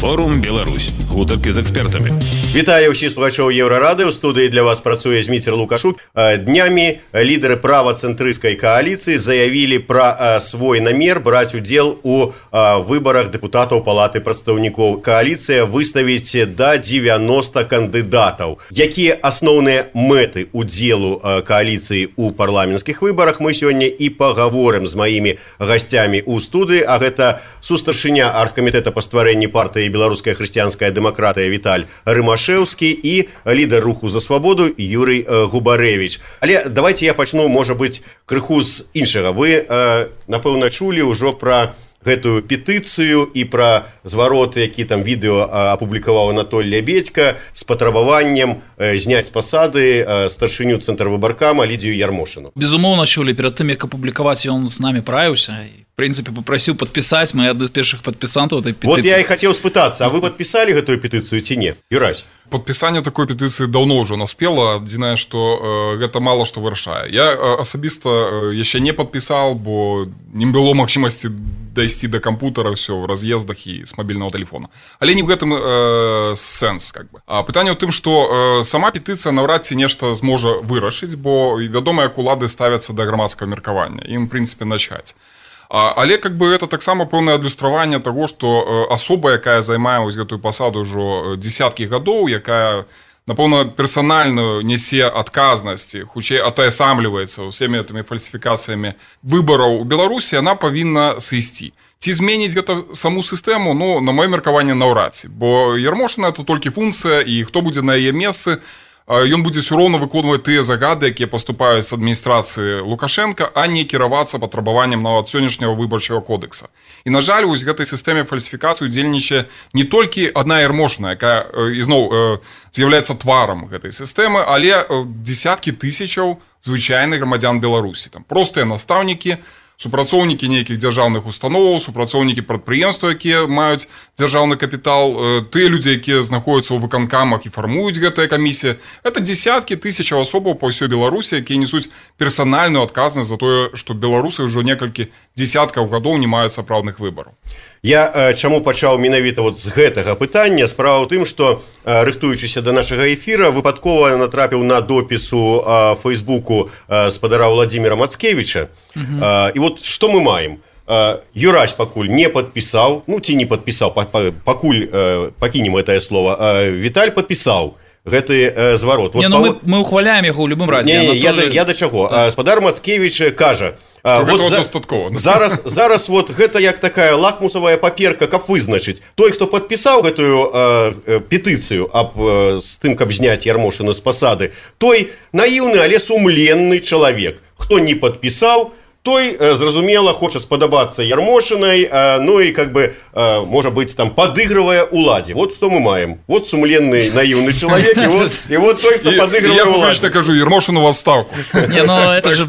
Форум Беларусь. Гутарки з экспертамі. Вітаю ўсіх слухачоў Еўрарады. У студыі для вас працуе Зміцер Лукашук. Днямі лідары правацэнтрысцкай кааліцыі заявілі пра свой намер браць удзел у выбарах дэпутатаў Палаты прадстаўнікоў. Кааліцыя выставіць да 90 кандыдатаў. Якія асноўныя мэты удзелу кааліцыі ў парламенцкіх выбарах, мы сёння і пагаворым з маімі гасцямі ў студыі, а гэта сустаршыня аргкамітэта па стварэнні партыі Беларуская хрысціянская дэмакратыя Віталь Рымашэўскі і лідар руху за свабоду Юрый Губарэвіч. Але давайте я пачну, можа быць, крыху з іншага. Вы, напэўна, чулі ўжо пра гэтую петыцыю і пра зварот, які там відэо апублікаваў Анатоль Лябедька з патрабаваннем зняць з пасады старшыню цэнтрвыбаркама Лідзію Ярмошыну. Безумоўна, чулі. Перад тым, як апублікаваць, ён з намі правіўся і, в прынцыпе, папрасіў падпісаць. Мы адны з першых падпісантаў этой петыцыі. Вот я і хацеў спытацца, а вы падпісалі гэтую петыцыю ці не? Юрась? Падпісанне такой петыцыі даўно ўжо наспела. Адзінае, што гэта мала што вырашае. Я асабіста яшчэ не падпісаў, бо не было магчымасці дайсці да кампутара ўсё ў раз'ездах і з мабільнага тэлефона. Але не в гэтым сэнс, как бы. А пытанне ў тым, што сама петыцыя наўрад ці нешта зможа вырашыць, бо вядома, як улады ставяцца да грамадскага меркавання. Ім, в прынцыпе, начаць. Але как бы это таксама пэўнае адлюстраванне таго, што асоба, якая займае вось гэтую пасаду ўжо дзесяткі гадоў, якая, напэўна, персанальна нясе адказнасці, хутчэй атаясамліваецца ўсімі гэтымі фальсіфікацыямі выбараў у Беларусі, яна павінна сысці. Ці зменіць гэта саму сістэму, ну, на маё меркаванне, наўрад ці. Бо Ярмошына – это толькі функцыя, і хто будзе на яе месцы, ён будзе ўсё роўна выконваць тыя загады, якія паступаюць з адміністрацыі Лукашенка, а не кіравацца патрабаваннем нават сённяшняга выбарчага кодекса. І, на жаль, вось гэтай сістэме фальсіфікацыі удзельнічае не толькі адна Ярмошына, якая, ізноў, з'яўляецца тварам гэтай сістэмы, але дзесяткі тысячаў звычайных грамадзян Беларусі. Там простыя настаўнікі, супрацоўнікі нейкіх дзяржаўных установаў, супрацоўнікі прадпрыемстваў, якія маюць дзяржаўны капітал, тыя людзі, якія знаходзяцца ў выканкамах і фармуюць гэтая камісія. Это дзесяткі тысячаў асобаў па ўсёй Беларусі, якія несуць персанальную адказнасць за тое, што беларусы ўжо некалькі дзесяткаў гадоў не маюць сапраўдных выбараў. Я чаму пачаў менавіта вот з гэтага пытання? Справа ў тым, што, рыхтуючыся да нашага эфіра, выпадкова натрапіў на допісу Фейсбуку спадара Владимира Мацкевіча. І вот што мы маем? Юрась пакуль не падпісаў, ну ці не падпісаў, пакуль пакінем гэтае слово, Віталь падпісаў гэты зварот. Не, ну мы ухваляем яго ў любым разе. Не, я да чаго? Спадар Мацкевіч кажа, зараз вот гэта як такая лакмусавая паперка, каб вызначыць. Той, хто падпісаў гэтую петыцыю з тым, каб зняць Ярмошыну з пасады, той наіўны, але сумленны чалавек. Хто не падпісаў, той, зразумела, хоча спадабацца Ярмошынай, ну і, как бы, можа быць, там, падыгрывае уладзе. Вот што мы маем. Вот сумленны, наіўны чалавек, і вот той, хто падыгрывае уладзе. Я публічна кажу, Ярмошыну в адстаўку. Не, ну, это же,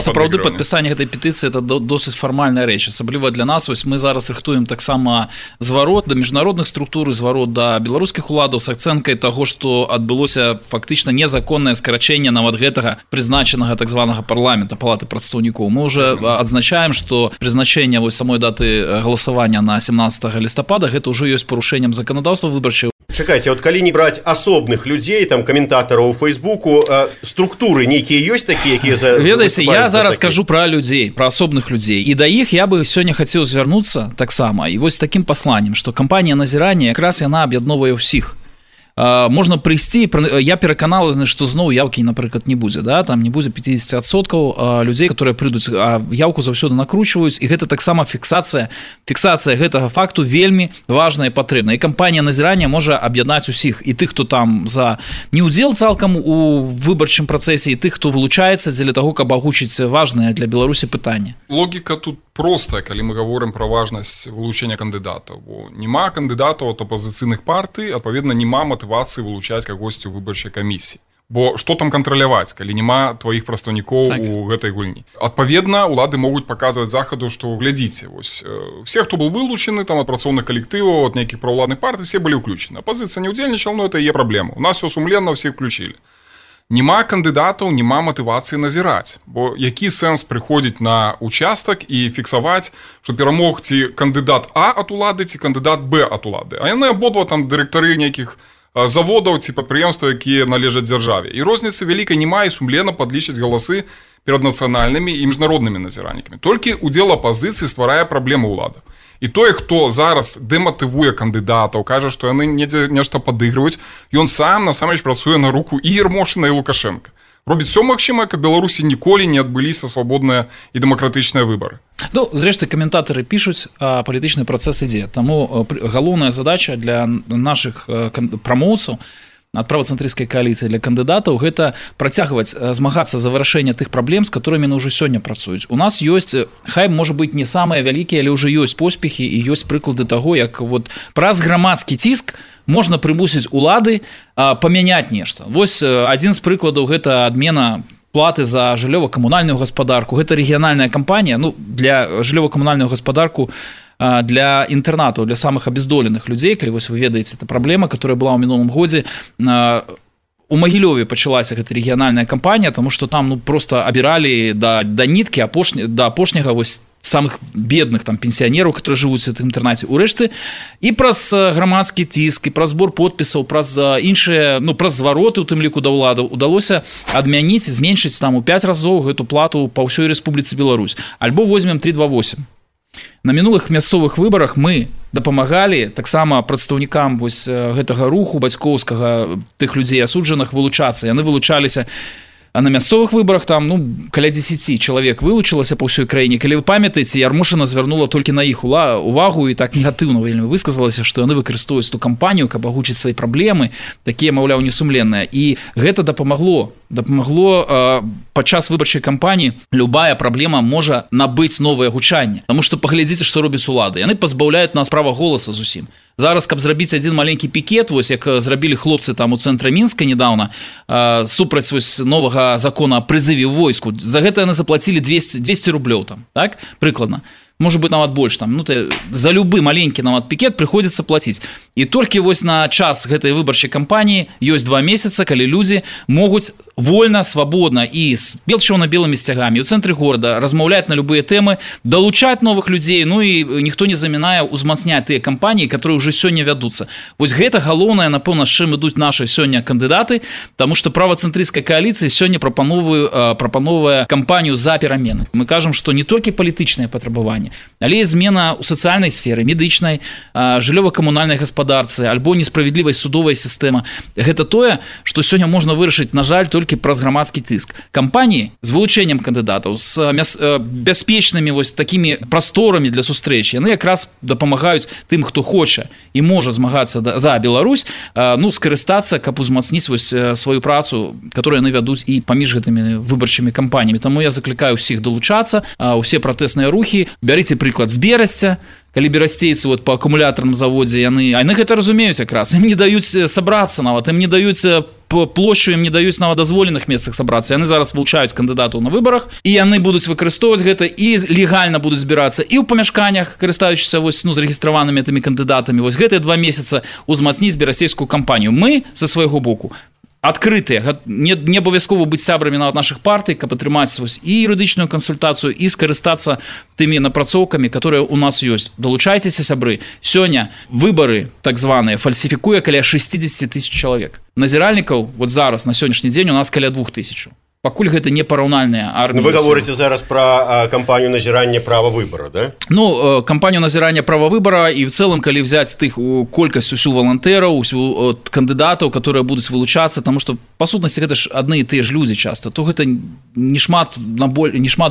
сапраўды, падпісанне гэтай петыцыі, это досыць фармальная рэч. Асабліва для нас, вось мы зараз рыхтуем таксама зварот да міжнародных структур, зварот да беларускіх уладаў з акцэнткай таго, што адбылося фактычна незаконнае скарачэнне нават гэтага прызначанага так званага парламента, Палаты прадстаўнікоў. Мы уже адзначаем, што прызначэнне вось самой даты галасавання на 17 лістапада гэта ўжо ёсць парушэннем заканадаўства выбарчага. Чакайце, вот калі не браць асобных людзей, там каментатараў у Фейсбуку, структуры нейкія ёсць такія, якія ведаеце, я зараз кажу пра людзей, пра асобных людзей. І да іх я бы сёння хацеў звярнуцца таксама. І вось такім пасланнем, што кампанія назірання якраз яна аб'ядноўвае ўсіх. Можна прыйсці, я перакананы, што зноў яўкі, напрыклад, не будзе, да? Там не будзе 50% людзей, которые прыйдуць, а яўку заўсёды накручваюць, і гэта таксама фіксацыя гэтага факту вельмі важная і патрэбная. І кампанія назірання можа аб'яднаць усіх, і тых, хто там за неудзел цалкам у выбарчым працэсе, і тых, хто вылучаецца дзеля таго, каб агучыць важнае для Беларусі пытанне. Логіка тут простая, калі мы гаворым пра важнасць вылучэння кандыдатаў, бо няма кандыдатаў ад апазіцыйных партый, адпаведна, няма матывацыі вылучаць кагосьці ў выбарчай камісіі. Бо што там кантраляваць, калі няма тваіх прадстаўнікоў у гэтай гульні? Адпаведна, улады могуць паказваць захаду, што глядзіце, вось все, хто был вылучаны там ад працоўных калектываў, ад нейкіх праўладных партый, все былі ўключаны. Апазіцыя не ўдзельнічала, но это яе праблема. У нас все сумленна, всіх включили. Нема кандыдатаў, нема матывацыі назіраць. Бо які сэнс прыходзіць на участак і фіксаваць, што перамог ці кандыдат А ад улады, ці кандыдат Б ад улады. А яны абодва там дырэктары нейкіх заводаў ці прадпрыемстваў, якія належаць дзяржаве. І розніцы вялікай няма, і сумленна падлічаць галасы перад нацыянальнымі і міжнароднымі назіраннікамі. Толькі удзел апазіцыі стварае праблемы ўлады. І той, хто зараз дэматывуе кандыдатаў, кажа, што яны недзе нешта падыгрываюць, ён сам насамрэч працуе на руку і Ермошына, і Лукашенка. Робіць все магчымае, каб Беларусі ніколі не адбыліся свабодныя і дэмакратычныя выбары. Ну, зрэшты, каментатары пішуць, а палітычны працэс ідзе. Таму галоўная задача для нашых прамоўцаў ад правацэнтрысцкай кааліцыі для кандыдатаў гэта працягваць змагацца за вырашэнне тых праблем, з которымі яны ўжо сёння працуюць. У нас ёсць, хай можа быць не самыя вялікія, але ўжо ёсць поспехі і ёсць прыклады таго, як вот праз грамадскі ціск можна прымусіць улады памяняць нешта. Вось адзін з прыкладаў гэта адмена платы за жыллёва-камунальную гаспадарку. Гэта рэгіянальная кампанія, ну, для жыллёва-камунальную гаспадарку для інтэрнатаў, для самых абездоленых людзей, калі вось вы ведаеце, это праблема, которая была ў мінулым годзе. У Магілёве пачалася гэта рэгіянальная кампанія, таму што там просто абіралі да ніткі да апошняга вось самых бедных там пенсіянераў, которые жывуць у гэтым інтэрнаце. Урэшты і праз грамадскі ціск, і праз збор подпісаў, праз іншыя, праз звароты, у тым ліку да ўладаў, удалося адмяніць, зменшыць там у 5 разоў гэту плату па ўсёй Рэспубліцы Беларусь. Альбо возьмем 328. На мінулых мясцовых выбарах мы дапамагалі таксама прадстаўнікам вось гэтага руху бацькоўскага, тых людзей асуджаных, вылучацца. Яны вылучаліся. А на мясцовых выбарах там, каля 10 чалавек вылучылася па ўсёй краіне. Калі вы памятаеце, Ярмошына звярнула толькі на іх увагу і так негатыўна вельмі высказалася, што яны выкарыстоўваюць ту кампанію, каб агучыць свае праблемы, такія, маўляў, несумленныя. І гэта дапамагло падчас выбарчай кампаніі любая праблема можа набыць новае гучанне. Таму што паглядзіце, што робяць улады. Яны пазбаўляюць нас права голаса зусім. Зараз, каб зрабіць адзін маленькі пікет, вось як зрабілі хлопцы там у цэнтры Мінска недавно, супраць вось новага закона о прызыве ў войску, за гэта яны заплацілі 200 рублёў там, так? Прыкладна. Может быть, нават больш там, за любы маленькі нават пікет прыходзіцца плаціць. І толькі вось на час гэтай выбарчай кампаніі ёсць 2 месяца, калі людзі могуць вольна, свабодна і з чырвона-белымі сцягамі ў цэнтры горада размаўляць на любыя тэмы, далучаць новых людзей, і ніхто не замінае ўзмацняць тыя кампаніі, которые ўжо сёння вядуцца. Вось гэта галоўнае, напэўна, з чым ідуць нашы сёння кандыдаты, таму што правацэнтрысцкая кааліцыя сёння прапановвае кампанію за перамены. Мы кажам, што не толькі палітычныя патрабаванні, але і змена ў сацыяльнай сферы, медычнай, жыллёва-камунальнай гаспадарцы, альбо несправядлівасць судовая сістэма. Гэта тое, што сёння можна вырашыць, на жаль, толькі праз грамадскі тыск. Кампаніі з вылучэннем кандыдатаў, з бяспечнымі вось такімі прасторамі для сустрэч, яны якраз дапамагаюць тым, хто хоча і можа змагацца за Беларусь, скарыстацца, каб узмацніць вось сваю працу, которую яны вядуць і паміж гэтымі выбарчымі кампаніямі. Таму я заклікаю ўсіх далучацца, усе пратэсныя рухі. Бярыце прыклад з Берасця, калі берасцейцы по акумулятарным заводзе, яны гэта разумеюць якраз. Ім не даюць сабрацца нават, ім не даюць плошчу, ім не даюць нават дазволеных месцах сабрацца. Яны зараз вылучаюць кандыдатаў на выбарах, і яны будуць выкарыстоўваць гэта і легальна будуць збірацца і ў памяшканнях, карыстаючыся зарэгістраванымі тымі кандыдатамі. Вось гэтыя 2 месяца ўзмацніць берасцейскую кампанію. Мы са свайго боку адкрытыя, не абавязкова быць сябрамі нават нашых партый, каб атрымаць і юрыдычную кансультацыю, і скарыстацца тымі напрацоўкамі, которые у нас ёсць. Далучайцеся, сябры. Сёння выбары так званыя фальсіфікуе каля 60 000 чалавек. Назіральнікаў вот зараз на сённяшні дзень у нас каля 2000. Пакуль гэта не параўнальная армія. Вы гаворыце зараз пра кампанію назірання права выбара, да? Кампанію назірання права выбара і в цэлым, калі взяць тых колькасць усю валантэраў, усю кандыдатаў, которые будуць вылучацца, таму што па сутнасці гэта ж адны і тыя ж людзі часта, то гэта не шмат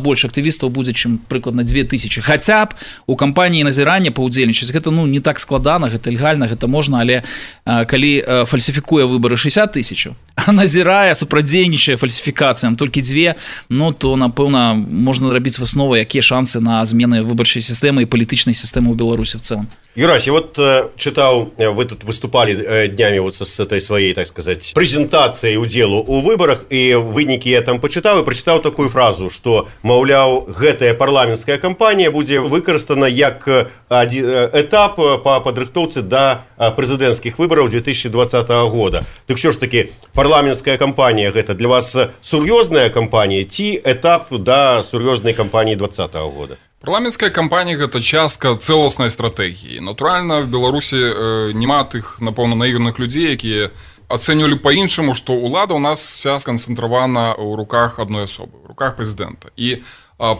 больш актывістаў будзе, чым прыкладна 2000. Хаця б у кампаніі назірання паўдзельнічаць, гэта не так складана, гэта легальна, гэта можна, але калі фальсіфікуе выбары 60 000, а назірае, супрадзейнічае фальсіфікацыям толькі 2, то, напэўна, можна рабіць высновы, якія шансы на змены выбарчай сістэмы і палітычнай сістэмы ў Беларусі в цэлым. Юрась, я читал, вы тут выступали днями с этой своей, так сказать, презентацией прынялі ўдзелу ў выбарах, і вынікі я там пачытаў і прачытаў такую фразу, што, маўляў, гэтая парламенцкая кампанія будзе выкарыстана як этап па падрыхтоўцы да прэзідэнцкіх выбараў 2020 года. Так що ж таки, парламенцкая кампанія гэта для вас сур'ёзная кампанія ці этап да сур'ёзнай кампаніі 2020 года? Парламенцкая кампанія – гэта частка цэласнай стратэгіі. Натуральна, в Беларусі няма тых, напэўна, наіграных людзей, якія ацэньвалі па-іншаму, што ўлада ў нас вся сканцэнтравана ў руках адной асобы, ў руках прэзідэнта. І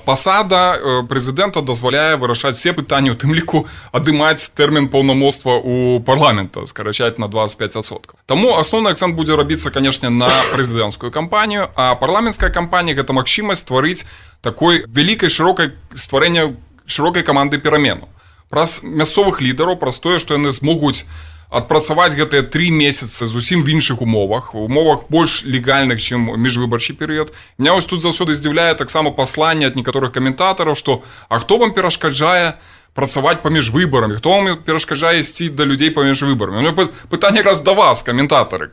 пасада прэзідэнта дазваляе вырашаць все пытанні, у тым ліку адымаць тэрмін паўнамоцтва ў парламента, скарачаць на 25%. Таму асноўны акцэнт будзе рабіцца, канешне, на прэзідэнцкую кампанію, а парламенцкая кампанія – гэта магчымасць стварыць такой вялікай стварэння шырокай каманды пераменаў. Праз мясцовых лідараў, праз тое, што яны змогуць адпрацаваць гэтыя 3 месяцы зусім в іншых умовах больш легальных, чым міжвыбарчы перыяд. Меня вось тут заўсёды здзіўляе таксама пасланне ад некаторых каментатараў, што а хто вам перашкаджае працаваць паміж выбарамі, хто вам перашкаджае ісці да людзей паміж выбарамі? У мяне пытанне якраз да вас, каментатары,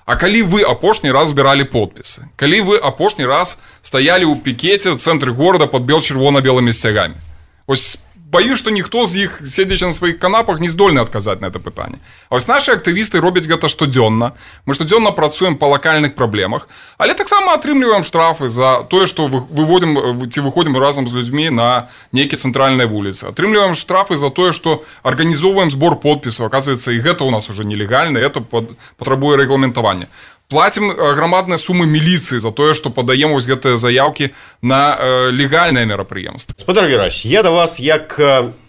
А калі вы апошні раз збіралі подпісы? Калі вы апошні раз стаялі ў пікеце ў цэнтры горада пад чырвона-белымі сцягамі? Вось боюсь, што ніхто з іх, седзячы на сваіх канапах, не здольны адказаць на гэта пытанне. А вось нашы актывісты робяць гэта штодзённа. Мы штодзённа працуем па лакальных праблемах, але таксама атрымліваем штрафы за тое, што выходзім разам з людзьмі на нейкія цэнтральныя вуліцы. Атрымліваем штрафы за тое, што арганізоўваем збор подпісаў. Аказваецца, і гэта ў нас уже нелегальна, это патрабуе рэгламентавання. Платим громадныя сумы міліцыі за тое, што падаем вось гэтыя заяўкі на легальнае мерапрыемства. Спадар Герась, я да вас як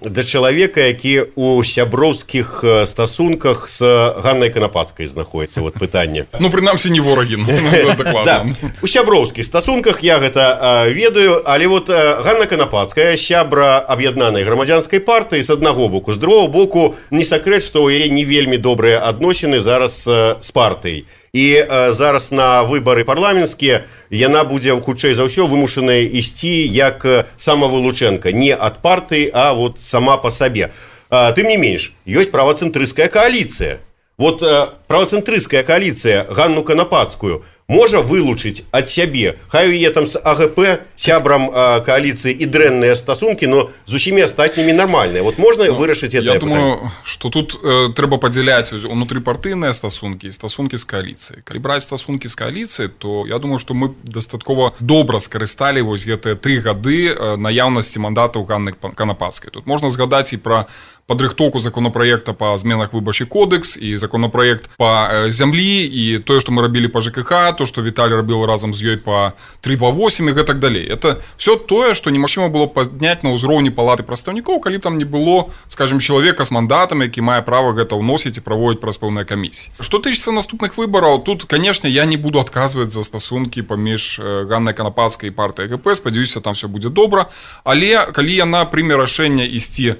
да чалавека, які ў сяброўскіх стасунках з Ганнай Канапацкай знаходіцца, вот пытанне. Ну, прынамсі, не ворагі, дакладна. Да, у сяброўскіх стасунках я гэта ведаю, але вот Ганна Канапацкая, сябра аб'яднанай грамадзянскай партыі з аднаго боку, з другого боку, не сакрэт, што ў яе не вельмі добрыя адносіны зараз з партыяй. І зараз на выбары парламенцкія яна будзе хутчэй за ўсё вымушаная ісці як самавылучэнка, не ад партыі, а вот сама па сабе. Тым не менш, ёсць правацэнтрысцкая кааліцыя. Вот правацэнтрысцкая кааліцыя Ганну Канапацкую можа вылучыць ад сябе. Хай у яе там з АГП сябрам кааліцыі і дрэнныя стасункі, но з усімі астатнімі нармальныя. Вот можна вырашыць гэтае пытанне? Я думаю, што тут трэба падзяляць унутрыпартыйныя стасункі і стасункі з кааліцыяй. Калі браць стасункі з кааліцыяй, то я думаю, што мы дастаткова добра скарысталі вось гэтыя 3 гады наяўнасці мандатаў Ганны Канапацкай. Тут можна згадаць і пра падрыхтоўку законапраекта па зменах выбарчы кодекс і законапраект па зямлі і тое, што мы рабілі па ЖКХ, то, што Віталій рабіў разам з ёй па 328 і гэтак далей. Это все тое, што немагчыма было падняць на ўзроўні палаты прадстаўнікоў, калі там не было, скажем, чалавека з мандатам, які мае права гэта ўносіць і праводзіць праз пэўныя камісіі. Што тычыцца наступных выбараў, тут, канешне, я не буду адказваць за стасункі паміж Ганнай Канапацкай і партыяй ГП, спадзяюся, там все будзе добра, але калі яна прыме рашэнне ісці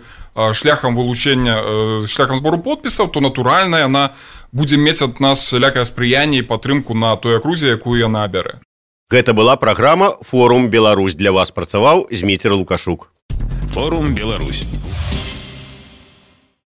шляхам вылучэння, шляхам збору подпісаў, то натуральна яна будзе мець ад нас всялякае спрыянне і падтрымку на той акрузе, якую яна абярэ. Гэта была праграма «Форум Беларусь». Для вас працаваў Зміцер Лукашук. Форум Беларусь.